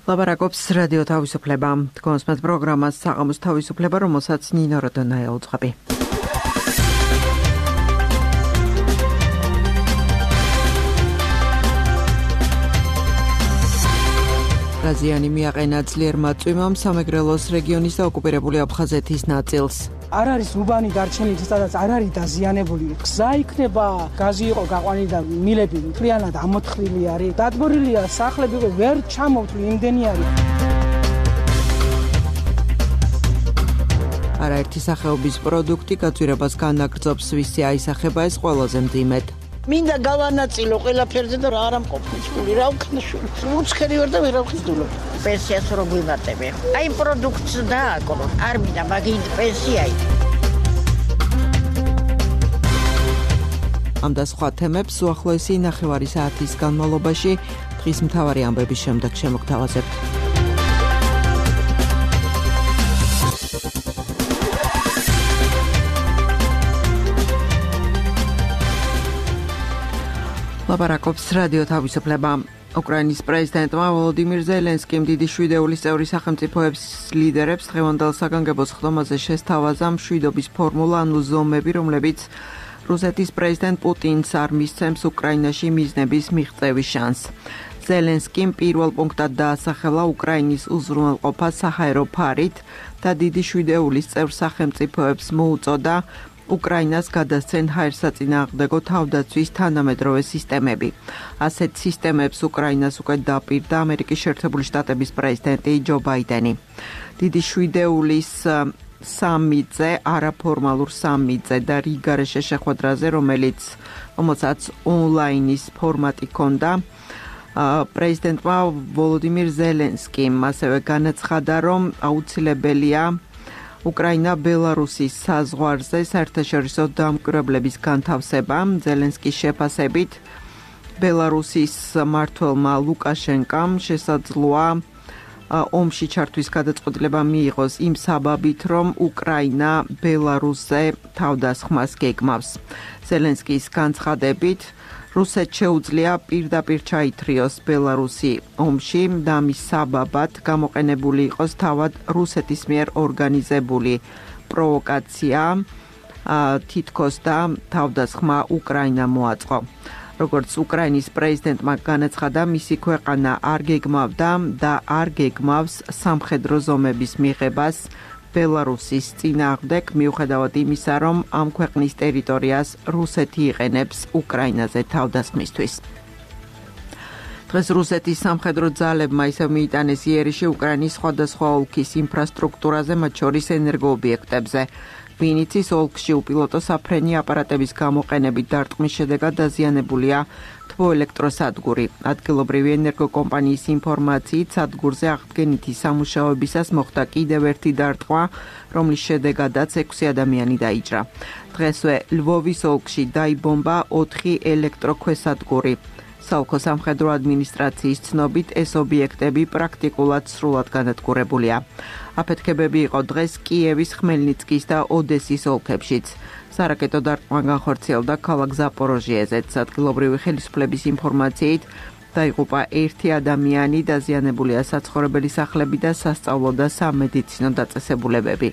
ლაპარაკობს რადიო თავისუფლება. თქვენს პროგრამას საღამოს თავისუფლება, რომელსაც ნინო როდონაია უძღვები. რაზიანი მიაყენა ძლიერმა წვიმამ სამეგრელოს რეგიონის და ოკუპირებული აფხაზეთის ნაწილს. არ არის უბანი დარჩენილი, სადაც არ არის დაზიანებული. გზა იქნება, გაზი იყო გაყვანილი და მილები მთლიანად ამოთხრილი არის. დადბორილია სახლები, ვერ ჩამოვთვლი იმდენი არის. არაერთი სახეობის პროდუქტი გაძვირებას განაგრძობს, ვისი აისახება ეს ყველაზე მძიმედ. მინდა გავანაწილო ყველაფერზე და რა არ ამყოფი სული რა ვქნა სული უცხერი ვარ და ვერ ავხსნილო პენსიას რო გვიმატები აი პროდუქტს დააკრო არ მინდა მაგინ პენსიაი ამ და სხვა თემებს უახლოესი ნახევარი საათის განმავლობაში დღის მთავარი ამბების შემდეგ შემოგთავაზებთ. ლაპარაკობს რადიო თავისუფლება. უკრაინის პრეზიდენტმა ვოლოდიმირ ზელენსკიმ დიდი შვიდეულის წევრი სახელმწიფოების ლიდერებს დღევანდელ საგანგებო სხდომაზე შესთავაზა მშვიდობის ფორმულა, ანუ ზომები, რომლებიც რუსეთის პრეზიდენტ პუტინს არ მისცემს უკრაინაში მიზნების მიღწევის შანსს. ზელენსკიმ პირველ პუნქტად დაასახელა უკრაინის უზრუნველყოფა საჰაერო ფარით და დიდი შვიდეულის წევრ სახელმწიფოებს მოუწოდა უკრაინას გადასცენ ჰაერსაწინააღმდეგო თავდაცვის თანამედროვე სისტემები. ასეთ სისტემებს უკრაინას უკვე დაპირდა ამერიკის შეერთებული შტატების პრეზიდენტი ჯო ბაიდენი. დიდი შვიდეულის სამიტზე, არაფორმალურ სამიტზე და რიგარეშე შეხვედრაზე, რომელსაც ონლაინის ფორმატი ჰქონდა, პრეზიდენტმა ვოლოდიმირ ზელენსკიმ ასევე განაცხადა, რომ აუცილებელია უკრაინა-ბელარუსის საზღვარზე საერთაშორისო დამკვირვებლების განთავსება. ზელენსკის შეფასებით ბელარუსის მმართველმა ლუკაშენკამ შესაძლოა ომში ჩართვის გადაწყვეტილება მიიღოს იმ საბაბით, რომ უკრაინა ბელარუსზე თავდასხმას გეგმავს. ზელენსკის განცხადებით რუსეთს შეუძლია პირდაპირ ჩაითრიოს ბელარუსი ომში და ამის საბაბად გამოყენებული იყოს თავად რუსეთის მიერ ორგანიზებული პროვოკაცია, თითქოს და თავდასხმა უკრაინა მოაწყო. როგორც უკრაინის პრეზიდენტმა განაცხადა, მისი ქვეყანა არ გეგმავდა და არ გეგმავს სამხედრო ზომების მიღებას ბელარუსის წინააღმდეგ, მიუხედავად იმისა, რომ ამ ქვეყნის ტერიტორიას რუსეთი იყენებს უკრაინაზე თავდასხმისთვის. დღეს რუსეთის სამხედრო ძალებმა ისევ მიიტანეს იერიში უკრაინის სხვადასხვა ოლქის ინფრასტრუქტურაზე, მათ შორის ენერგოობიექტებზე. ვინიცის ოლქში უპილოტო საფრენი აპარატების გამოყენებით დარტყმის შედეგად დაზიანებულია თბოელექტროსადგური. ადგილობრივი ენერგოკომპანიის ინფორმაციით, სადგურზე აღდგენითი სამუშაოებისას მოხდა კიდევ ერთი დარტყმა, რომლის შედეგადაც 6 ადამიანი დაიჭრა. დღესვე ლვოვის ოლქში დაიბომბა 4 ელექტროქვესადგური. საოლქო სამხედრო ადმინისტრაციის ცნობით, ეს ობიექტები პრაქტიკულად სრულად განადგურებულია. აფეთქებები იყო დღეს კიევის, ხმელნიცკის და ოდესის ოლქებშიც. სარაკეტო დარტყმა განხორციელდა ქალაქ ზაპოროჟიეზეც. ადგილობრივი ხელისუფლების ინფორმაციით დაიღუპა 1 ადამიანი, დაზიანებულია საცხოვრებელი სახლები და სასწავლო და სამედიცინო დაწესებულებები.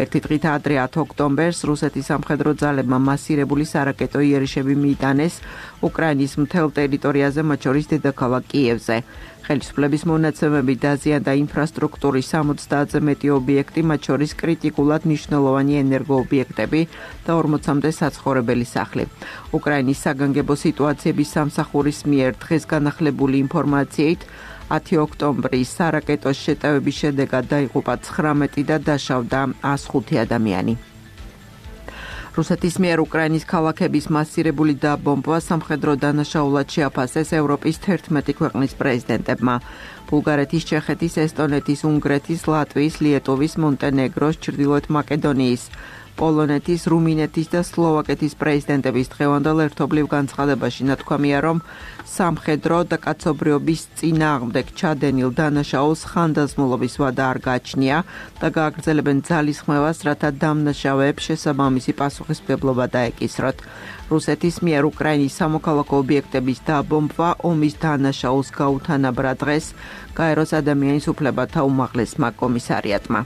ერთი დღით ადრე 10 ოქტომბერს რუსეთის სამხედრო ძალებმა მასირებული სარაკეტო იერიშები მიიტანეს უკრაინის მთელ ტერიტორიაზე, მათ შორის დედაქალაქ კიევზე. ხელისუფლების მონაცემებით დაზიანდა ინფრასტრუქტურის 60-ზე მეტი ობიექტი, მათ შორის კრიტიკულად მნიშვნელოვანი ენერგოობიექტები და 40-მდე საცხოვრებელი სახლი. უკრაინის საგანგებო სიტუაციების სამსახურის მიერ დღეს განახლებული ინფორმაციით 10 ოქტომბრის სარაკეტოს შეტევების შედეგად დაიღუპა 19 და დაშავდა 105 ადამიანი. რუსეთის მიერ უკრაინის ქალაქების მასირებული დაბომბვა სამხედრო დანაშაულად შეაფასეს ევროპის 11 ქვეყნის პრეზიდენტებმა. ბულგარეთის, ჩეხეთის, ესტონეთის, უნგრეთის, ლატვიის, ლიეტუვის, მონტენეგროს, ჩრდილოეთ მაკედონიის, პოლონეთის, რუმინეთის და სლოვაკეთის პრეზიდენტების დღევანდელ ერთობლივ განცხადებაში ნათქვამია, რომ სამხედრო და კაცობრიობის წინააღმდეგ ჩადენილ დანაშაულს ხანდაზმულობის ვადა არ გააჩნია და გააგრძელებენ ძალისხმევას, რათა დამნაშავეებს შესაბამისი პასუხისმგებლობა დაეკისროთ. რუსეთის მიერ უკრაინის სამოქალაქო ობიექტების დაბომბვა ომის დანაშაულს გაუთანაბრა დღეს გაეროს ადამიანის უფლებათა უმაღლესმა კომისარიატმა.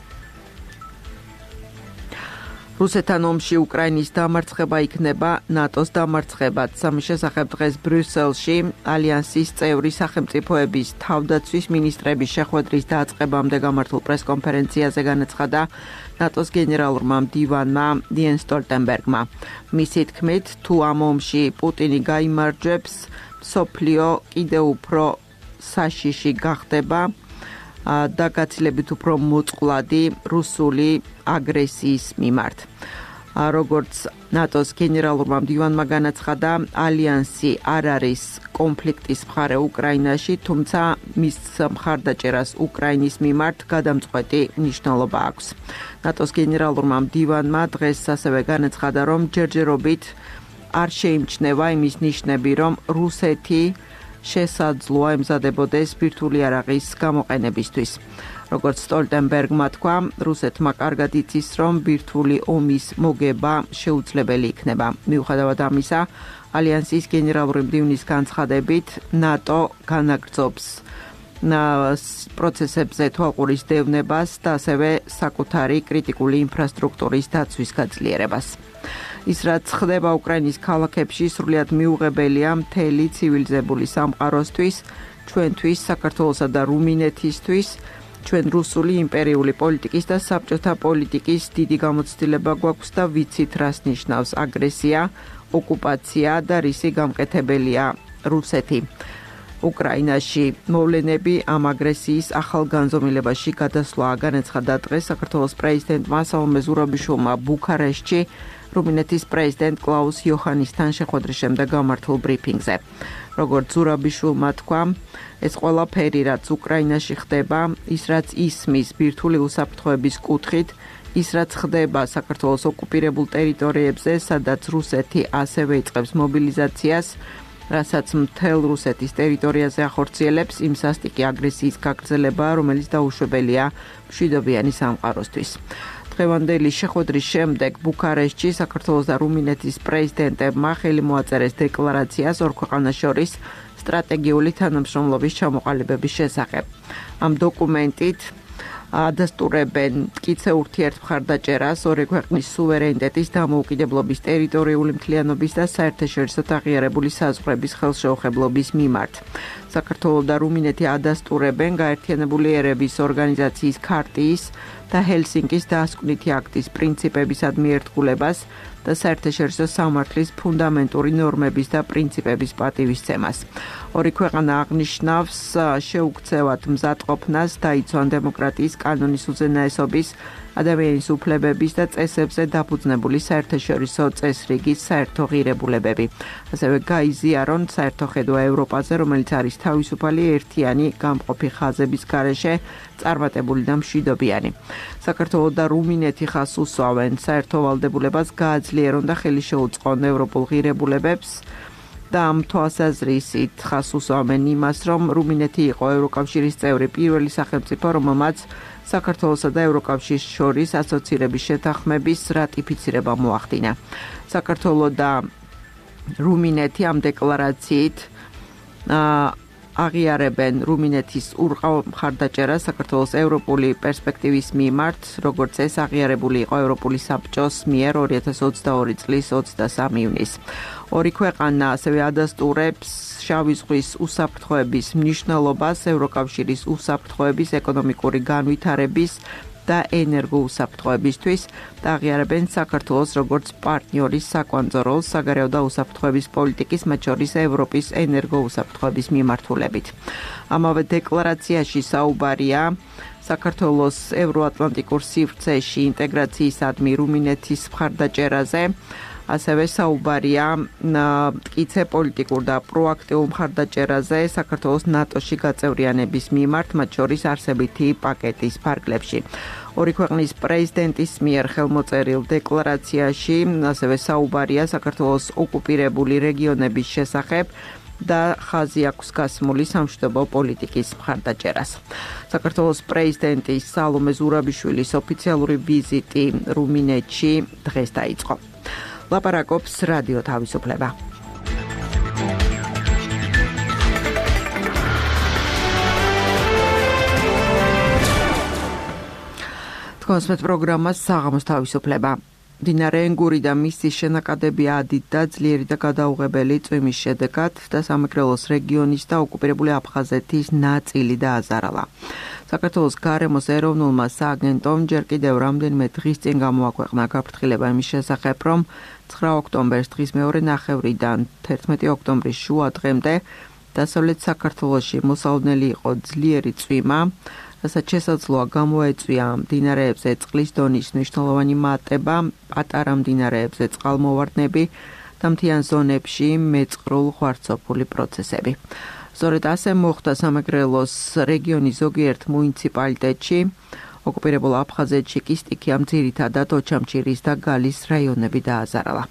რუსეთთან ომში უკრაინის დამარცხება იქნება ნატოს დამარცხებაც. ამის შესახებ დღეს ბრიუსელში ალიანსის წევრი სახელმწიფოების თავდაცვის მინისტრების შეხვედრის დაწყებამდე გამართულ პრესკონფერენციაზე განაცხადა ნატოს გენერალურმა მდივანმა იენს სტოლტენბერგმა. მისი თქმით, თუ ამ ომში პუტინი გაიმარჯვებს, მსოფლიო კიდევ უფრო საშიში გახდება და გაცილებით უფრო მოწყვლადი რუსული აგრესიის მიმართ. როგორც ნატოს გენერალურმა მდივანმა განაცხადა, ალიანსი არ არის კონფლიქტის მხარე უკრაინაში, თუმცა მის მხარდაჭერას უკრაინის მიმართ გადამწყვეტი მნიშვნელობა აქვს. ნატოს გენერალურმა მდივანმა დღეს ასევე განაცხადა, რომ ჯერჯერობით არ შეიმჩნევა იმის ნიშნები, რომ რუსეთი შესაძლოა ემზადებოდეს ბირთვული იარაღის გამოყენებისთვის. როგორც სტოლტენბერგმა თქვა, რუსეთმა კარგად იცის, რომ ბირთვული ომის მოგება შეუძლებელი იქნება. მიუხედავად ამისა, ალიანსის გენერალური მდივნის განცხადებით, ნატო განაგრძობს პროცესებზე თვალყურის დევნებას და ასევე საკუთარი კრიტიკული ინფრასტრუქტურის დაცვის გაძლიერებას. ის რაც ხდება უკრაინის ქალაქებში სრულიად მიუღებელია მთელი ცივილიზებული სამყაროსთვის, ჩვენთვის, საქართველოსა და რუმინეთისთვის, ჩვენ რუსული იმპერიული პოლიტიკის და საბჭოთა პოლიტიკის დიდი გამოცდილება გვაქვს და ვიცით, რას ნიშნავს აგრესია, ოკუპაცია და რისი გამყეთებელია რუსეთი. უკრაინაში მოვლენები ამ აგრესიის ახალ განზომილებაში გადასვლაა, განაცხადა დღეს საქართველოს პრეზიდენტმა სალომე ზურაბიშვილმა ბუქარესტში რუმინეთის პრეზიდენტ კლაუს იოჰანისთან შეხვედრის შემდეგ გამართულ ბრიფინგზე. როგორც ზურაბიშვილმა თქვა, ეს ყველაფერი, რაც უკრაინაში ხდება, ის რაც ისმის ბირთვული უსაფრთხოების კუთხით, ის რაც ხდება საქართველოს ოკუპირებულ ტერიტორიებზე, სადაც რუსეთი ასევე იწყებს მობილიზაციას, რასაც მთელ რუსეთის ტერიტორიაზე ახორციელებს, იმ სასტიკი აგრესიის გაგრძელება, რომელიც დაუშვებელია მშვიდობიანი სამყაროსთვის. დღევანდელი შეხვედრის შემდეგ ბუქარესტში საქართველოს და რუმინეთის პრეზიდენტებმა ხელი მოაწერეს დეკლარაციას ორ ქვეყანას შორის სტრატეგიული თანამშრომლობის ჩამოყალიბების შესახებ. ამ დოკუმენტით ადასტურებენ მტკიცე ურთიერთმხარდაჭერას ორი ქვეყნის სუვერენიტეტის, დამოუკიდებლობის, ტერიტორიული მთლიანობის და საერთაშორისო აღიარებული საზღვრების ხელშეუხებლობის მიმართ. საქართველო და რუმინეთი ადასტურებენ გაერთიანებული ერების ორგანიზაციის ქარტიის და ჰელსინკის დასკვნითი აქტის პრინციპებისადმი ერთგულებას და საერთაშორისო სამართლის ფუნდამენტური ნორმების და პრინციპების პატივისცემას. ორი ქვეყანა აღნიშნავს შეუქცევად მზადყოფნას დაიცვან დემოკრატიის, კანონის უზენაესობის, ადამიანის უფლებების და წესებზე დაფუძნებული საერთაშორისო წესრიგის საერთო ღირებულებები. ასევე გაიზიარონ საერთო ხედვა ევროპაზე, რომელიც არის თავისუფალი, ერთიანი, გამყოფი ხაზების გარეშე წარმატებული და მშვიდობიანი. საქართველო და რუმინეთი ხას უსვავენ საერთო ვალდებულებას გააძლიერონ და ხელი შეუწყონ ევროპულ ღირებულებებს და ამ თვალსაზრისით ხას უსვამენ იმას, რომ რუმინეთი იყო ევროკავშირის წევრი პირველი სახელმწიფო, რომელმაც საქართველოსა და ევროკავშირის შორის ასოცირების შეთანხმების რატიფიცირება მოახდინა. საქართველო და რუმინეთი ამ დეკლარაციით აღიარებენ რუმინეთის ურყავ მხარდაჭერას საქართველოს ევროპული პერსპექტივის მიმართ, როგორც ეს აღიარებული იყო ევროპული საბჭოს მიერ 2022 წლის 23 ივნისს. ორი ქვეყანა ასევე ადასტურებს შავი ზღვის უსაფრთხოების მნიშვნელობას, ევროკავშირის უსაფრთხოების, ეკონომიკური განვითარების და ენერგოუსაფრთხოებისთვის და აღიარებენ საქართველოს როგორც პარტნიორის საკვანძო როლს საგარეო და უსაფრთხოების პოლიტიკის, მათ შორის ევროპის ენერგოუსაფრთხოების მიმართულებით. ამავე დეკლარაციაში საუბარია საქართველოს ევროატლანტიკურ სივრცეში ინტეგრაციისადმი რუმინეთის მხარდაჭერაზე. ასევე საუბარია მტკიცე პოლიტიკურ და პროაქტიულ მხარდაჭერაზე საქართველოს ნატოში გაწევრიანების მიმართ, მათ შორის არსებითი პაკეტის ფარგლებში. ორი ქვეყნის პრეზიდენტის მიერ ხელმოწერილ დეკლარაციაში ასევე საუბარია საქართველოს ოკუპირებული რეგიონების შესახებ და ხაზი აქვს გასმული სამშვიდობო პოლიტიკის მხარდაჭერას. საქართველოს პრეზიდენტის სალომე ზურაბიშვილის ოფიციალური ვიზიტი რუმინეთში დღეს დაიწყო. ლაპარაკობს რადიო თავისუფლება. კონსმეთ პროგრამას საღამოს თავისუფლება. მდინარე ენგური და მისი შენაკადები ადიდდა ძლიერი და გადაუღებელი წვიმის შედეგად და სამეგრელოს რეგიონის და ოკუპირებული აფხაზეთის ნაწილი დააზარალა. საქართველოს გარემოს ეროვნულმა სააგენტომ ჯერ კიდევ რამდენიმე დღის წინ გამოაქვეყნა გაფრთხილება იმის შესახებ, რომ 9 ოქტომბერს დღის მეორე ნახევრიდან 11 ოქტომბრის შუა დღემდე დასავლეთ საქართველოში მოსალოდნელი იყო ძლიერი წვიმა, რასაც შესაძლოა გამოეწვია მდინარეებზე წყლის დონის მნიშვნელოვანი მატება, პატარა მდინარეებზე წყალმოვარდნები და მთიან ზონებში მეწყრულ ღვარცოფული პროცესები. სწორედ ასე მოხდა სამეგრელოს რეგიონის ზოგიერთ მუნიციპალიტეტში, ოკუპირებულ აფხაზეთში კი სტიქიამ ძირითადად ოჩამჩირის და გალის რაიონები დააზარალა.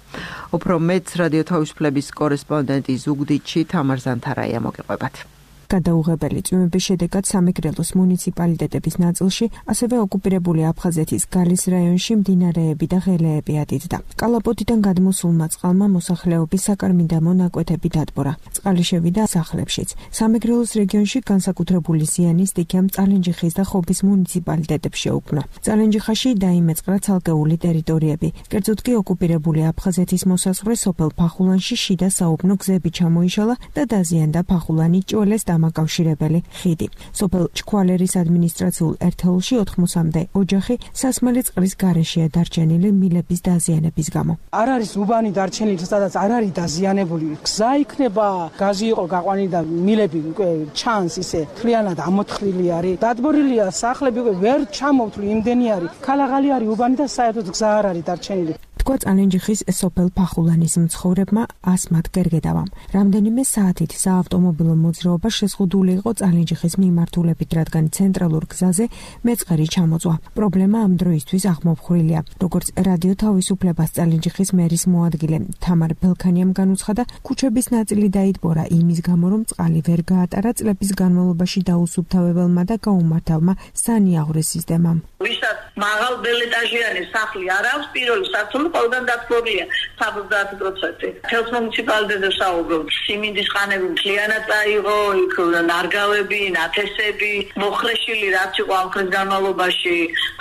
უფრო მეც რადიო თავისუფლების კორესპონდენტი ზუგდიდში თამარ ზანთარაია მოგიყვებათ. გადაუღებელი წვიმების შედეგად სამეგრელოს მუნიციპალიტეტების ნაწილში, ასევე ოკუპირებული აფხაზეთის გალის რაიონში მდინარეები და ღელეები ადიდდა. კალაპოტიდან გადმოსულმა წყალმა მოსახლეობის საკარმიდამო ნაკვეთები დადბორა. წყალი შევიდა სახლებშიც. სამეგრელოს რეგიონში განსაკუთრებული ზიანი სტიქიამ წალენჯიხის და ხობის მუნიციპალიტეტებს შეუქმნა. წალენჯიხაში დაიმეწყრა ცალკეული ტერიტორიები. კერძოდ კი ოკუპირებული აფხაზეთის მოსაზღვრე სოფელ ფახულანში შიდა საუბნო გზები ჩამოიშალა და დაზიანდა ფახულანი ჭოელეს დამაკავშირებელი ხიდი. სოფელ ჩქვალერის ადმინისტრაციულ ერთეულში 80-მდე ოჯახი სასმელი წყლის გარეშეა დარჩენილი მილების დაზიანების გამო. არ არის უბანი დარჩენილი, სადაც არ არის დაზიანებული. გზა იქნება, გაზი იყო გაყვანილი და მილები უკვე ჩანს ისე მთლიანად ამოთხრილი არის. დადბორილია სახლები უკვე ვერ ჩამოვთვლი იმდენი არის. ქალაღალი არის უბანი და საერთოდ გზა არ არის დარჩენილი. თქვა წალენჯიხის სოფელ ფახულანის მცხოვრებმა ასმათ გერგედავამ. რამდენიმე საათით საავტომობილო მოძრაობა შეზღუდული იყო წალენჯიხის მიმართულებით, რადგან ცენტრალურ გზაზე მეწყერი ჩამოწვა. პრობლემა ამ დროისთვის აღმოფხვრილია. როგორც რადიო თავისუფლებას წალენჯიხის მერის მოადგილე თამარ ბელქანიამ განუცხადა, ქუჩების ნაწილი დაიტბორა იმის გამო, რომ წყალი ვერ გაატარა წლების განმავლობაში დაუსუფთავებელმა და გაუმართავმა სანიაღვრეს სისტემამ. ვისაც მაღალ ბელეტაჟიანი სახლი არ აქვს, პირველი სართული ყველგან დათბორია 70%. თელს მუნიციპალიტეტზე საუბრობ, სიმინდის ხანები მთლიანად წაიღო, იქ ნარგავები, ნათესები, მოხრეშილი რაც იყო ამ ხნის განმავლობაში,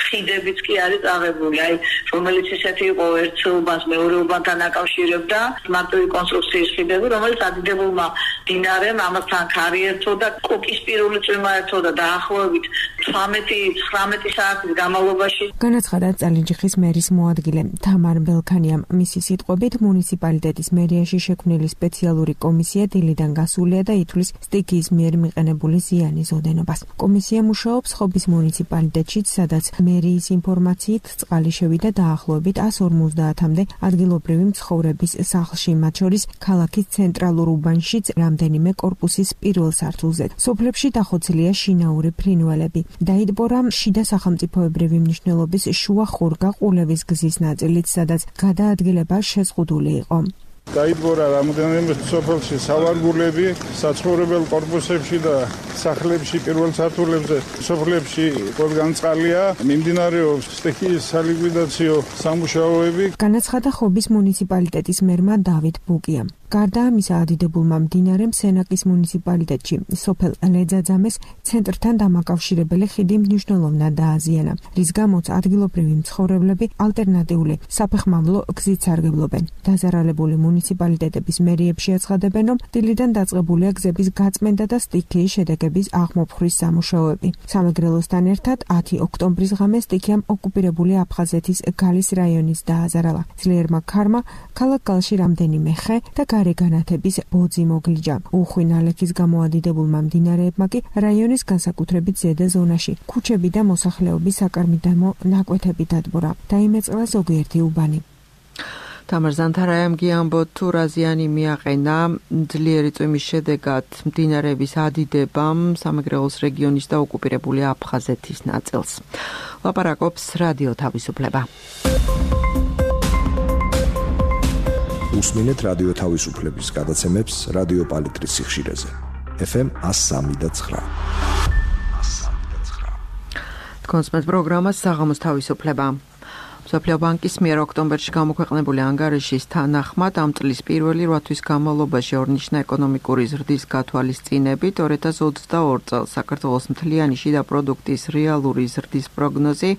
ხიდებიც კი არის წაღებული. აი, რომელიც ისეთი იყო ერთ უბანს მეორე უბანთან აკავშირებდა, მარტივი კონსტრუქციის ხიდები, რომელიც ადიდებულმა მდინარემ ამასთან ქარი ერთო და კოკისპირული წვიმა ერთო და დაახლოებით 18-19 საათის განმავლობაში. განაცხადა წალენჯიხის მერის მოადგილე თამარ ბელქანიამ. მისი სიტყვებით, მუნიციპალიტეტის მერიაში შექმნილი სპეციალური კომისია დილიდან გასულია და ითვლის სტიქიის მიერ მიყენებული ზიანის ოდენობას. კომისია მუშაობს ხობის მუნიციპალიტეტშიც, სადაც მერიის ინფორმაციით წყალი შევიდა დაახლოებით 150-მდე ადგილობრივი მცხოვრების სახლში, მათ შორის ქალაქის ცენტრალურ უბანშიც რამდენიმე კორპუსის პირველ სართულზე. სოფლებში დახოცილია შინაური ფრინველები. დაიტბორა შიდა სახელმწიფოებრივი მნიშვნელობის შუა ხურგა ყულევის გზის ნაწილიც, სადაც გადაადგილება შეზღუდული იყო. დაიტბორა რამდენიმე სოფელში სავარგულები, საცხოვრებელ კორპუსებში და სახლებში პირველ სართულებზე, სოფლებში ყველგან წყალია, მიმდინარეობს სტიქიის სალიკვიდაციო სამუშაოები. განაცხადა ხობის მუნიციპალიტეტის მერმა დავით ბუკიამ. გარდა ამისა, ადიდებულმა მდინარემ სენაკის მუნიციპალიტეტში სოფელ ლეძაძამეს ცენტრთან დამაკავშირებელი ხიდი მნიშვნელოვნად დააზიანა, რის გამოც ადგილობრივი მცხოვრებლები ალტერნატიული საფეხმავლო გზით სარგებლობენ. დაზარალებული მუნიციპალიტეტების მერიებში აცხადებენ, რომ დილიდან დაწყებულია გზების გაწმენდა და სტიქიის შედეგების აღმოფხვრის სამუშაოები. სამეგრელოსთან ერთად 10 ოქტომბრის ღამე სტიქიამ ოკუპირებული აფხაზეთის გალის რაიონის დააზარალა. ძლიერმა ქარმა ქალაქ გალში რამდენიმე ხე და განათების ბოძი მოგლიჯა. უხვი ნალექის გამოადიდებულმა მდინარეებმა კი რაიონის განსაკუთრებით ზედა ზონაში ქუჩები და მოსახლეობის საკარმიდამო ნაკვეთები დადბორა. დაიმეწყრა ზოგიერთი უბანი. თამარ ზანთარაიამ გიამბოთ თუ რა ზიანი მიაყენა ძლიერი წვიმის შედეგად მდინარეების ადიდებამ სამეგრელოს რეგიონის და ოკუპირებული აფხაზეთის ნაწილს. ლაპარაკობს რადიო თავისუფლება. უსმინეთ რადიო თავისუფლების გადაცემებს რადიო პალიტრის სიხშირეზე. FM 103.9. კონსპект პროგრამა საღამოს თავისუფლება. მსოფლიო ბანკის მიერ ოქტომბერში გამოქვეყნებული ანგარიშის თანახმად ამ წლის პირველი 8 თვის განმავლობაში ორნიშნა ეკონომიკური ზრდის გათვალისწინებით 2022 წელს საქართველოს მთლიანი შიდა პროდუქტის რეალური ზრდის პროგნოზი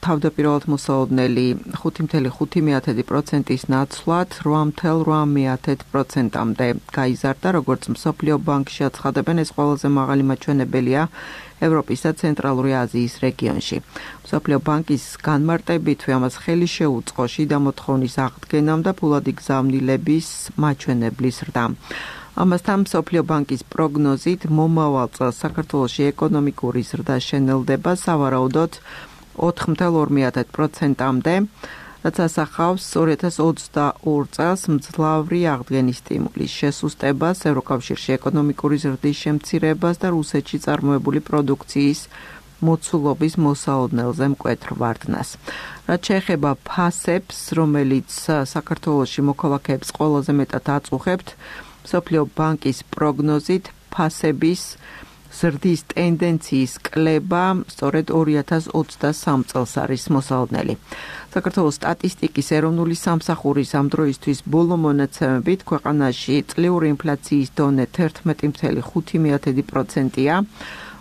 თავდაპირველად მოსალოდნელი 5.5%-ის ნაცვლად 8.8%-მდე გაიზარდა, როგორც მსოფლიო ბანკში აცხადებენ, ეს ყველაზე მაღალი მაჩვენებელია ევროპის და ცენტრალური აზიის რეგიონში. მსოფლიო ბანკის განმარტებითვე ამას ხელი შეუწყო შიდა მოთხოვნის აღდგენამ და ფულადი გზავნილების მაჩვენებლის ზრდამ. ამასთან მსოფლიო ბანკის პროგნოზით მომავალ წელს საქართველოში ეკონომიკური ზრდა შენელდება სავარაუდოდ 4.2%-მდე, რაც ასახავს 2022 წელს მძლავრი აღდგენის სტიმულის შესუსტებას, ევროკავშირში ეკონომიკური ზრდის შემცირებას და რუსეთში წარმოებული პროდუქციის მოცულობის მოსალოდნელზე მკვეთრ ვარდნას. რაც შეეხება ფასებს, რომელიც საქართველოში მოქალაქეებს ყველაზე მეტად აწუხებთ, მსოფლიო ბანკის პროგნოზით ფასების ზრდის ტენდენციის კლება სწორედ 2023 წელს არის მოსალოდნელი. საქართველოს სტატისტიკის ეროვნული სამსახურის ამ დროისთვის ბოლო მონაცემებით ქვეყანაში წლიური ინფლაციის დონე 11.5%-ია.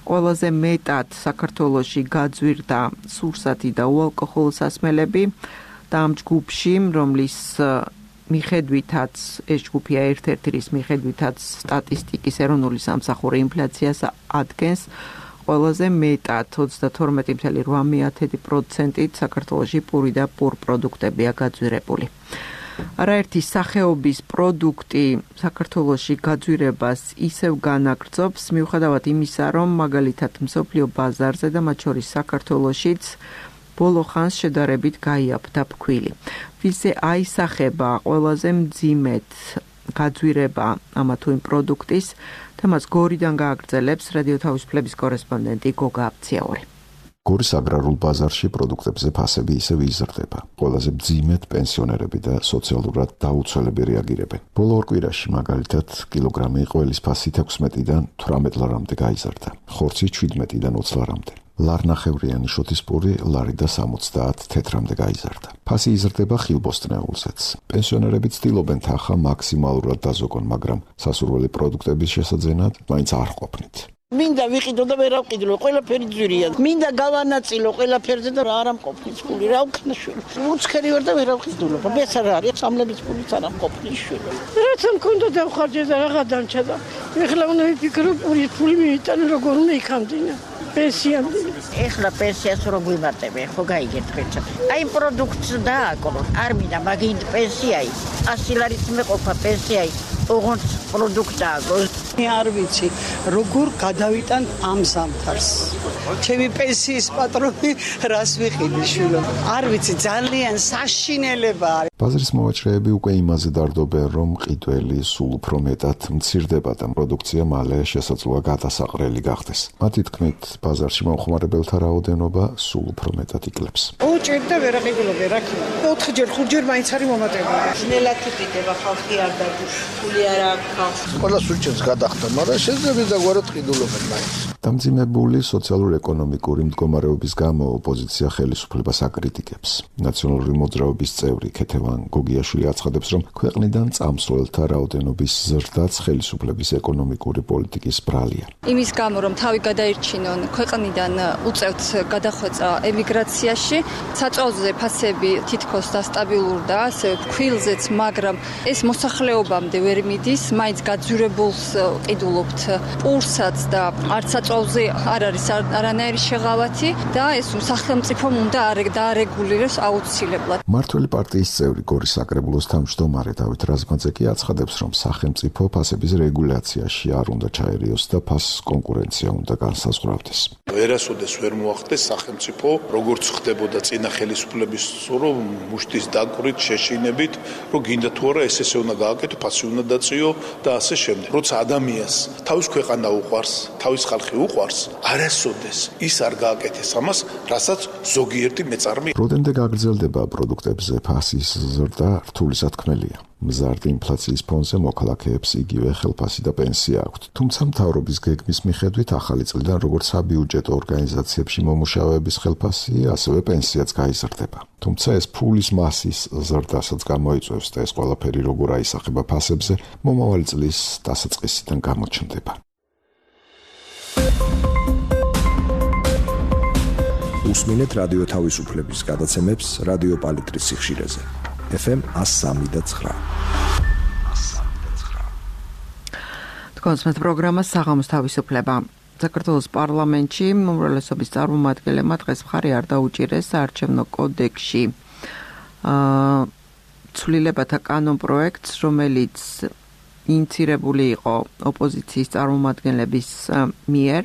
ყველაზე მეტად საქართველოში გაძვირდა სურსათი და უალკოჰოლო სასმელები და ამ ჯგუფში, რომლის მიხედვითაც ეს ჯგუფია ერთ-ერთი რის მიხედვითაც სტატისტიკის ეროვნული სამსახური ინფლაციას ადგენს ყველაზე მეტად 22.8%-ით საქართველოში პური და პურ პროდუქტებია გაძვირებული. არაერთი სახეობის პროდუქტი საქართველოში გაძვირებას ისევ განაგრძობს, მიუხედავად იმისა, რომ მაგალითად მსოფლიო ბაზარზე და მათ შორის საქართველოშიც ბოლო ხანს შედარებით გაიაფთა ფქვილი. ვიზე აისახება ყველაზე მძიმედ გაძვირება ამა თუ იმ პროდუქტის, თემას გორიდან გააგრძელებს რადიო თავისუფლების კორესპონდენტი გოგა აფციაური. გორის აგრარულ ბაზარში პროდუქტებზე ფასები ისევ იზრდება. ყველაზე მძიმედ პენსიონერები და სოციალურად დაუცველები რეაგირებენ. ბოლო ორ კვირაში მაგალითად კილოგრამი ყველის ფასი 16-დან 18 ლარამდე გაიზარდა. ხორცი 17-დან 20 ლარამდე. ლარნახევრიანი შოთისპური ლარი და 70 თეთრამდე გაიზარდა. ფასი იზრდება ხილბოსტნეულზეც. პენსიონერები ცდილობენ თანხა მაქსიმალურად დაზოგონ, მაგრამ სასურველი პროდუქტების შესაძენად მაინც არ ყოფნით. მინდა ვიყიდო და ვერ ავყიდო, ყველაფერი ძვირია. მინდა გავანაწილო ყველაფერზე და რა არ ამყოფნის ფული, რა ვქნა შვილო. უცხერი ვარ და ვერ ავყიდულობ. ეს არ არის, სამლების ფულიც არ ამყოფნის შვილო. რაც მქონდა დავხარჯე და რაღა დამჭა და ეხლა უნდა ვიფიქრო, ფული მიიტანო როგორ უნდა იქამდინა. პენსიამდე. ეხლა პენსიას რო გვიმატებე, ხო გაიგეთ ხეჭა. აი პროდუქტს დააკრო. არ მინდა მაგინ პენსიაი. 100 ლარით მეყოფა პენსიაი. ოღონდ პროდუქტაა. მე არ ვიცი, როგორ გადავიტან ამ ზამთარს. ჩემი პენსიის პატრონი რას ვიყიდი შვილო. არ ვიცი, ძალიან საშინელება არის. ბაზრის მოვაჭრეები უკვე იმაზე დარდობენ, რომ ყიდველი სულ უფრო მეტად მცირდება და პროდუქცია მალე შესაძლოა გადასაყრელი გახდეს. მათი თქმით, ბაზარში მომხმარებელთა რაოდენობა სულ უფრო მეტად იკლებს. უჭერდა და ვერ აღიდილობე, რა ქნა. 4-ჯერ, 5-ჯერ მაინც არის მომატებული. ძნელად იყიდება ხალხი არ დაგუშ, ფული არ აქვს. ყველა სუჩებს გადახდა, მაგრამ შეიძლება დაგვარად ყიდულობენ მაინც. დამძიმებული სოციალურ-ეკონომიკური მდგომარეობის გამო ოპოზიცია ხელისუფლებას აკრიტიკებს. ნაციონალური მოძრაობის წევრი ქეთევან გოგიაშვილი აცხადებს, რომ ქვეყნიდან წამსვლელთა რაოდენობის ზრდაც ხელისუფლების ეკონომიკური პოლიტიკის ბრალია. იმის გამო, რომ თავი გადაირჩინონ ქვეყნიდან უწევთ გადახვეწა ემიგრაციაში, საწვავზე ფასები თითქოს დასტაბილურდა, ასევე ფქვილზეც, მაგრამ ეს მოსახლეობამდე ვერ მიდის, მაინც გაძვირებულს ყიდულობთ პურსაც და არც საწვავზე არ არის არანაირი შეღავათი და ეს სახელმწიფომ უნდა დაარეგულიროს აუცილებლად. მართველი პარტიის წევრი გორის საკრებულოს თავმჯდომარე დავით რაზმაძე კი აცხადებს, რომ სახელმწიფო ფასების რეგულაციაში არ უნდა ჩაერიოს და ფასის კონკურენცია უნდა განსაზღვრავდეს. ვერასოდეს ვერ მოახდეს სახელმწიფო, როგორც ხდებოდა წინა ხელისუფლების რომ მუშტის დაკვირით, შეშინებით, რომ გინდა თუ არა ესე უნდა გააკეთო, ფასი უნდა დაწიო და ასე შემდეგ. როცა ადამიანს თავის ქვეყანა უყვარს, თავის ხალხი უყვარს, არასოდეს ის არ გააკეთეს ამას, რასაც ზოგიერთი მეწარმე. როდემდე გაგრძელდება პროდუქტებზე ფასის ზრდა, რთული სათქმელია. მზარდი ინფლაციის ფონზე მოქალაქეებს იგივე ხელფასი და პენსია აქვთ. თუმცა მთავრობის გეგმის მიხედვით ახალი წლიდან როგორც საბიუჯეტო ორგანიზაციებში მომუშავეების ხელფასი, ასევე პენსიაც გაიზრდება. თუმცა ეს ფულის მასის ზრდასაც გამოიწვევს და ეს ყველაფერი როგორ აისახება ფასებზე, მომავალი წლის დასაწყისიდან გამოჩნდება. უსმინეთ რადიო თავისუფლების გადაცემებს რადიო პალიტრის სიხშირეზე. FM 103.9. კონსმეთ პროგრამა საღამოს თავისუფლება. საქართველოს პარლამენტში უმრავლესობის წარმომადგენლებმა დღეს მხარი არ დაუჭირეს საარჩევნო კოდექსში ცვლილებათა კანონპროექტს, რომელიც ინიცირებული იყო ოპოზიციის წარმომადგენლების მიერ.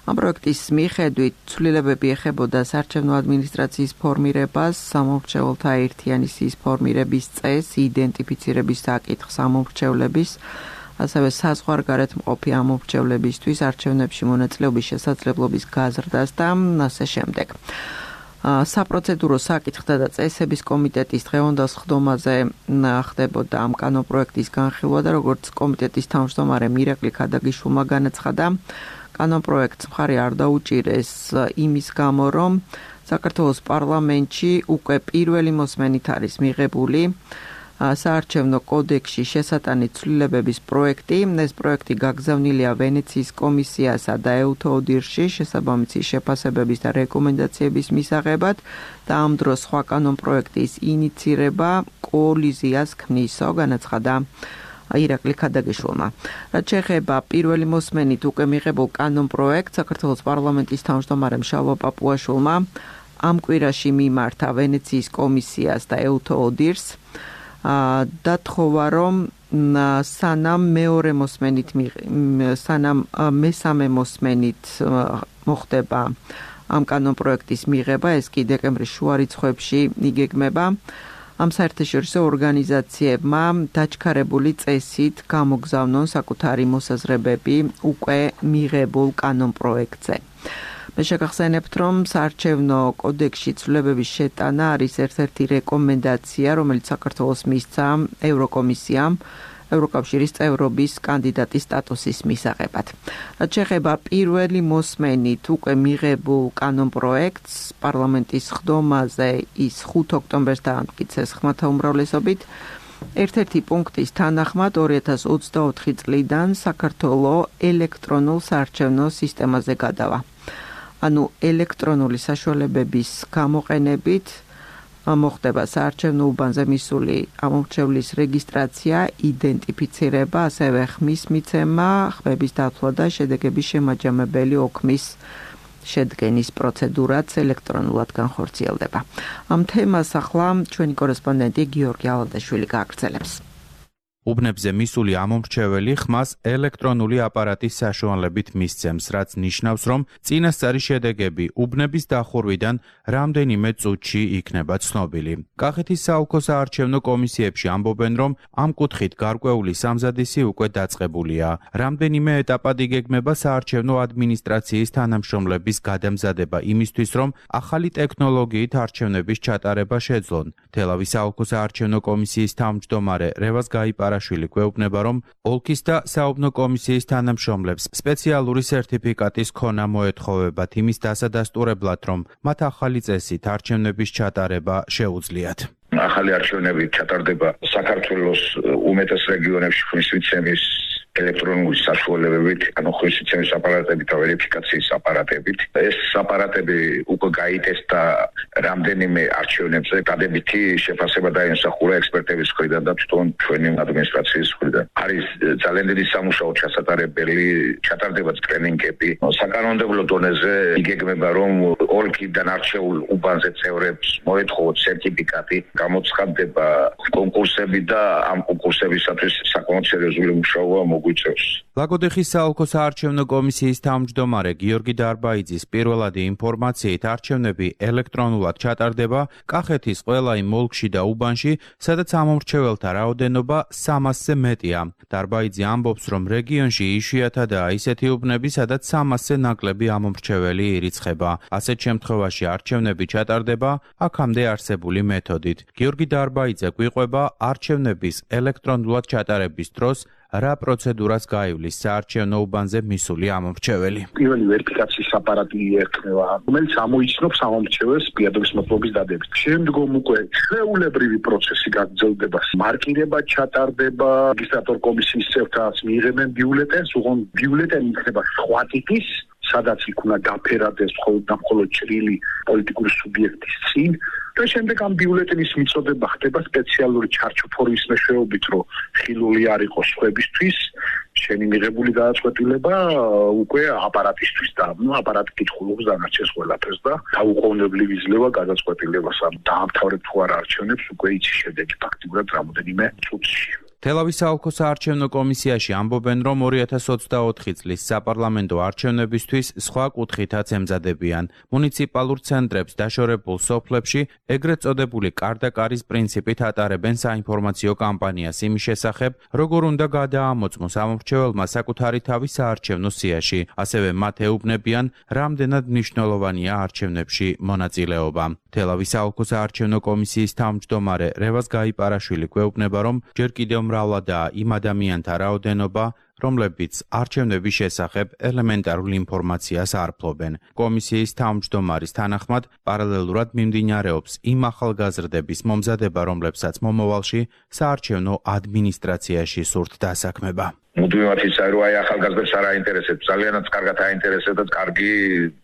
ამ პროექტის მიხედვით ცვლილებები ეხებოდა საარჩევნო ადმინისტრაციის ფორმირებას, სამომრჩეველთა ერთიანი სიის ფორმირების წესს, იდენტიფიცირების საკითხს ამომრჩევლების, ასევე საზღვარგარეთ მყოფი ამომრჩევლებისთვის არჩევნებში მონაწილეობის შესაძლებლობის გაზრდას და ასე შემდეგ. საპროცედურო საკითხთა და წესების კომიტეტის დღევანდელ სხდომაზე ხდებოდა ამ კანონპროექტის განხილვა და როგორც კომიტეტის თავმჯდომარე მირაკლი ქადაგიშვილმა განაცხადა, კანონპროექტს მხარი არ დაუჭირეს იმის გამო, რომ საქართველოს პარლამენტში უკვე პირველი მოსმენით არის მიღებული საარჩევნო კოდექსში შესატანი ცვლილებების პროექტი. ეს პროექტი გაგზავნილია ვენეციის კომისიასა და EUTODIR-ში შესაბამისი შეფასებების და რეკომენდაციების მისაღებად და ამ დროს სხვა კანონპროექტის ინიცირება კოლიზიას ქმნისო, განაცხადა ირაკლი ქადაგიშვილმა. რაც შეეხება პირველი მოსმენით უკვე მიღებულ კანონპროექტს, საქართველოს პარლამენტის თავმჯდომარემ შალვა პაპუაშვილმა ამ კვირაში მიმართა ვენეციის კომისიას და EUTODIR-ს დათხოვა, რომ სანამ მესამე მოსმენით მოხდება ამ კანონპროექტის მიღება, ეს კი დეკემბრის შუა რიცხვებში იგეგმება. ამ საერთაშორისო ორგანიზაციებმა დაჩქარებული წესით გამოგზავნონ საკუთარი მოსაზრებები უკვე მიღებულ კანონპროექტზე. მე შეგახსენებთ, რომ საარჩევნო კოდექსში ცვლილებების შეტანა არის ერთ-ერთი რეკომენდაცია, რომელიც საქართველოს მისცა ევროკომისიამ ევროკავშირის წევრობის კანდიდატის სტატუსის მისაღებად. რაც შეეხება პირველი მოსმენით უკვე მიღებულ კანონპროექტს, პარლამენტის სხდომაზე ის 5 ოქტომბერს დაამტკიცეს ხმათა უმრავლესობით. ერთ-ერთი პუნქტის თანახმად 2024 წლიდან საქართველოს ელექტრონულ საარჩევნო სისტემაზე გადავა. ანუ ელექტრონული საშუალებების გამოყენებით მოხდება საარჩევნო უბანზე მისული ამომრჩევლის რეგისტრაცია, იდენტიფიცირება, ასევე ხმის მიცემა, ხმების დათვლა და შედეგების შემაჯამებელი ოქმის შედგენის პროცედურაც ელექტრონულად განხორციელდება. ამ თემას ახლა ჩვენი კორესპონდენტი გიორგი ალადაშვილი გააგრძელებს. უბნებზე მისული ამომრჩეველი ხმას ელექტრონული აპარატის საშუალებით მისცემს, რაც ნიშნავს, რომ წინასწარი შედეგები უბნების დახურვიდან რამდენიმე წუთში იქნება ცნობილი. კახეთის საოლქო საარჩევნო კომისიებში ამბობენ, რომ ამ კუთხით გარკვეული სამზადისი უკვე დაწყებულია. რამდენიმე ეტაპად იგეგმება საარჩევნო ადმინისტრაციის თანამშრომლების გადამზადება იმისთვის, რომ ახალი ტექნოლოგიით არჩევნების ჩატარება შეძლონ. თელავის საოლქო საარჩევნო კომისიის თავმჯდომარე რევაზ გაიპარაშვილი გვეუბნება, რომ ოლქის და საუბნო კომისიის თანამშრომლებს სპეციალური სერტიფიკატის ქონა მოეთხოვებათ იმის დასადასტურებლად, რომ მათ ახალი წესით არჩევნების ჩატარება შეუძლიათ. ახალი არჩევნები ჩატარდება საქართველოს უმეტეს რეგიონებში ხმის მიცემის ელექტრონული საშუალებებით, ანუ ხვისცემის აპარატებით და ვერიფიკაციის აპარატებით. ეს აპარატები უკვე გაიტესტა რამდენიმე არჩევნებზე, დადებითი შეფასება დაიმსახურა ექსპერტების მხრიდან და თვითონ ჩვენი ადმინისტრაციის მხრიდან. არის ძალიან დიდი სამუშაო ჩასატარებელი, ჩატარდება ტრენინგები. საკანონმდებლო დონეზე იგეგმება, რომ ოლქიდან არჩეულ უბანზე წევრებს მოეთხოვოთ სერტიფიკატი, გამოცხადდება კონკურსები და ამ კონკურსებისათვის საკმაოდ სერიოზული მუშაობა მოგვიწევს. ლაგოდეხის საოლქო საარჩევნო კომისიის თავმჯდომარე გიორგი დარბაიძის პირველადი ინფორმაციით არჩევნები ელექტრონულად ჩატარდება კახეთის ყველა იმ ოლქში და უბანში, სადაც ამომრჩეველთა რაოდენობა 300-ზე მეტია. დარბაიძე ამბობს, რომ რეგიონში იშვიათადაა ისეთი უბნები, სადაც 300-ზე ნაკლები ამომრჩეველი ირიცხება. ასეთ შემთხვევაში არჩევნები ჩატარდება აქამდე არსებული მეთოდით. გიორგი დარბაიძე გვიყვება არჩევნების ელექტრონულად ჩატარების დროს რა პროცედურას გაივლის საარჩევნო უბანზე მისული ამომრჩეველი. პირველი ვერიფიკაციის აპარატი ერქმევა, რომელიც ამოიცნობს ამომრჩეველს პირადობის მოცულობის დადებით. შემდგომ უკვე ჩვეულებრივი პროცესი გაგრძელდება. მარკირება ჩატარდება, რეგისტრატორ კომისიის წევრთაც მიიღებენ ბიულეტენს, უღონ ბიულეტენი იქნება სხვა ტიპის, სადაც იქ უნდა დაფერადეს მხოლოდ ჭრილი პოლიტიკური სუბიექტის წინ. და შემდეგ ამ ბიულეტენის მიწოდება ხდება სპეციალური ჩარჩოფორვის მეშვეობით, რომ ხილული არ იყოს სხვებისთვის, შენი მიღებული გადაწყვეტილება უკვე აპარატისთვის და აპარატი კითხულობს დანარჩენს ყველაფერს და დაუყოვნებლივ იძლევა გადაწყვეტილებას. დაამთავრებ თუ არა არჩევნებს, უკვე იცი შედეგი ფაქტიურად რამოდენიმე წუთში. თელავის საოლქო საარჩევნო კომისიაში ამბობენ, რომ 2024 წლის საპარლამენტო არჩევნებისთვის სხვა კუთხითაც ემზადებიან. მუნიციპალურ ცენტრებს დაშორებულ სოფლებში ეგრეთ წოდებული კარდაკარის პრინციპით ატარებენ საინფორმაციო კამპანიას იმის შესახებ, როგორ უნდა გადაამოწმოს ამომრჩეველმა საკუთარი თავი საარჩევნო სიაში. ასევე მათ ეუბნებიან, რამდენად მნიშვნელოვანია არჩევნებში მონაწილეობა. თელავის საოლქო საარჩევნო კომისიის თავმჯდომარე რევაზ გაიპარაშვილი გვეუბნება, რომ ჯერ კიდევ მრავლადაა იმ ადამიანთა რაოდენობა, რომლებიც არჩევნების შესახებ ელემენტარულ ინფორმაციას არ ფლობენ. კომისიის თავმჯდომარის თანახმად, პარალელურად მიმდინარეობს იმ ახალგაზრდების მომზადება, რომლებსაც მომავალში საარჩევნო ადმინისტრაციაში სურთ დასაქმება. მუდმივად იცი, რომ აი ახალგაზრდებს არ აინტერესებს, ძალიანაც კარგად აინტერესებს და კარგი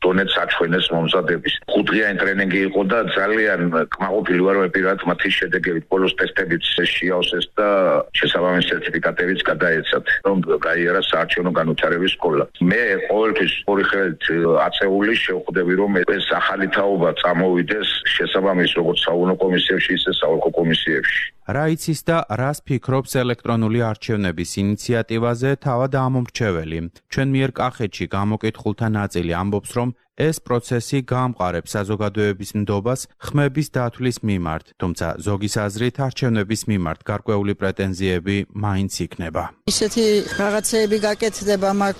დონეც აჩვენეს მომზადების. 5 დღიანი ტრენინგი იყო და ძალიან კმაყოფილი ვარ, რომ პირადად მათი შედეგებით ბოლოს ტესტებიც შეიავსეს და შესაბამისი სერტიფიკატებიც გადაეცათ, რომ გაიარა საარჩევნო განვითარების სკოლა. მე ყოველთვის ორი ხელით აწეული შევხვდები, რომ ეს ახალი თაობა წამოვიდეს შესაბამის როგორც საუნო კომისიებში, ისე საოლქო კომისიებში. რა იცის და რას ფიქრობს ელექტრონული არჩევნების ინიციატივაზე თავად ამომრჩეველი. ჩვენ მიერ კახეთში გამოკითხულთა ნაწილი ამბობს, რომ ეს პროცესი გაამყარებს საზოგადოების ნდობას ხმების დათვლის მიმართ, თუმცა ზოგის აზრით არჩევნების მიმართ გარკვეული პრეტენზიები მაინც იქნება. ისეთი რაღაცეები გაკეთდება მაგ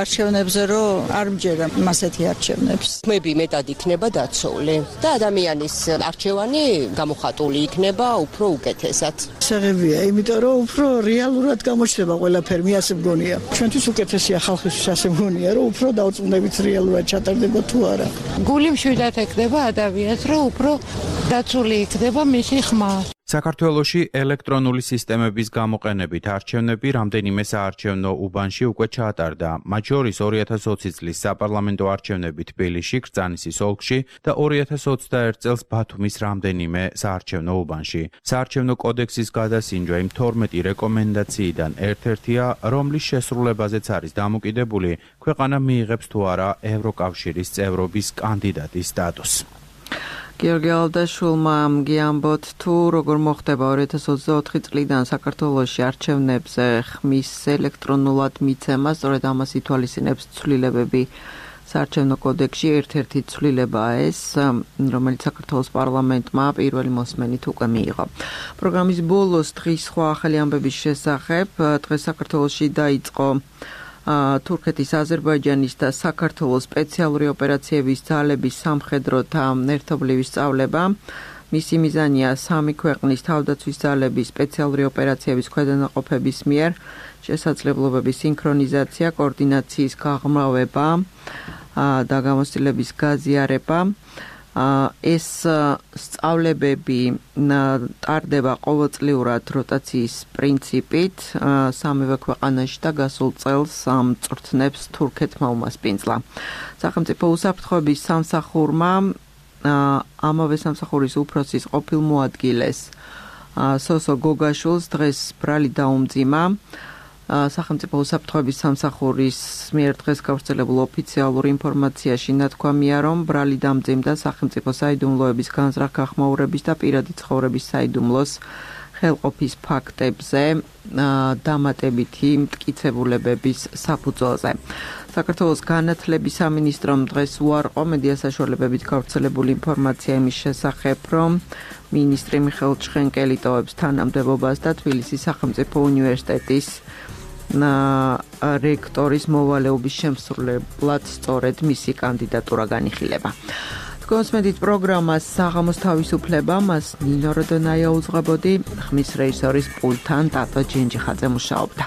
არჩევნებზე, რომ არ მჯერა ასეთი არჩევნებს. ხმები მეტად იქნება დაცული და ადამიანის არჩევანი გამოხატული იქნება უფრო უკეთესად. საღებია, იმიტომ რომ უფრო რეალურად გამოჩნდება ყველაფერი, მე ასე მგონია. ჩვენთვის უკეთესია, ხალხისთვის ასე მგონია, რომ უფრო დაუწუნდებით რეალურად ჩატარდება თუ არა. გული მშვიდად ეკდება ადამიანს, რომ უფრო დაცული იქნება მისი ხმა. საქართველოში ელექტრონული სისტემების გამოყენებით არჩევნები რამდენიმე საარჩევნო უბანში უკვე ჩაატარდა. მათ შორის 2020 წლის საპარლამენტო არჩევნები თბილისში, კრწანისის ოლქში და 2021 წელს ბათუმის რამდენიმე საარჩევნო უბანში. საარჩევნო კოდექსის გადასინჯვა იმ 12 რეკომენდაციიდან ერთ-ერთია, რომლის შესრულებაზეც არის დამოკიდებული ქვეყანა მიიღებს თუ არა ევროკავშირის წევრობის კანდიდატის სტატუსს. გიორგი ალდაშვილმა გიამბოთ თუ როგორ მოხდება 2024 წლიდან საქართველოში არჩევნებზე ხმის ელექტრონულად მიცემა, სწორედ ამას ითვალისწინებს ცვლილებები საარჩევნო კოდექსში. ერთ-ერთი ცვლილებაა ეს, რომელიც საქართველოს პარლამენტმა პირველი მოსმენით უკვე მიიღო. პროგრამის ბოლოს დღის სხვა ახალი ამბების შესახებ. დღეს საქართველოში დაიწყო თურქეთის, აზერბაიჯანის და საქართველოს სპეციალური ოპერაციების ძალების სამხედროთა ერთობლივი სწავლება. მისი მიზანია სამი ქვეყნის თავდაცვის ძალების სპეციალური ოპერაციების ქვედანაყოფების მიერ შესაძლებლობების სინქრონიზაცია, კოორდინაციის გაღრმავება და გამოცდილების გაზიარება. ეს სწავლებები ტარდება ყოველწლიურად როტაციის პრინციპით სამივე ქვეყანაში და გასულ წელს წვრთნებს თურქეთმა უმასპინძლა. სახელმწიფო უსაფრთხოების სამსახურმა ამავე სამსახურის უფროსის ყოფილ მოადგილეს სოსო გოგაშვილს დღეს ბრალი დაუმძიმა. სახელმწიფო უსაფრთხოების სამსახურის მიერ დღეს გავრცელებულ ოფიციალურ ინფორმაციაში ნათქვამია, რომ ბრალი დამძიმდა სახელმწიფო საიდუმლოების განზრახ გახმაურების და პირადი ცხოვრების საიდუმლოს ხელყოფის ფაქტებზე დამატებითი მტკიცებულებების საფუძველზე. საქართველოს განათლების სამინისტრომ დღეს უარყო მედია საშუალებებით გავრცელებული ინფორმაცია იმის შესახებ, რომ მინისტრი მიხეილ ჩხენკელი ტოვებს თანამდებობას და თბილისის სახელმწიფო უნივერსიტეტის რექტორის მოვალეობის შემსრულებლად სწორედ მისი კანდიდატურა განიხილება. გოსმედით პროგრამას საღამოს თავისუფლება მას ნინო როდონაია უძღვებოდი, ხმის რეჟისორის პულტთან ტატო ჯენჯიხაძე მუშაობდა.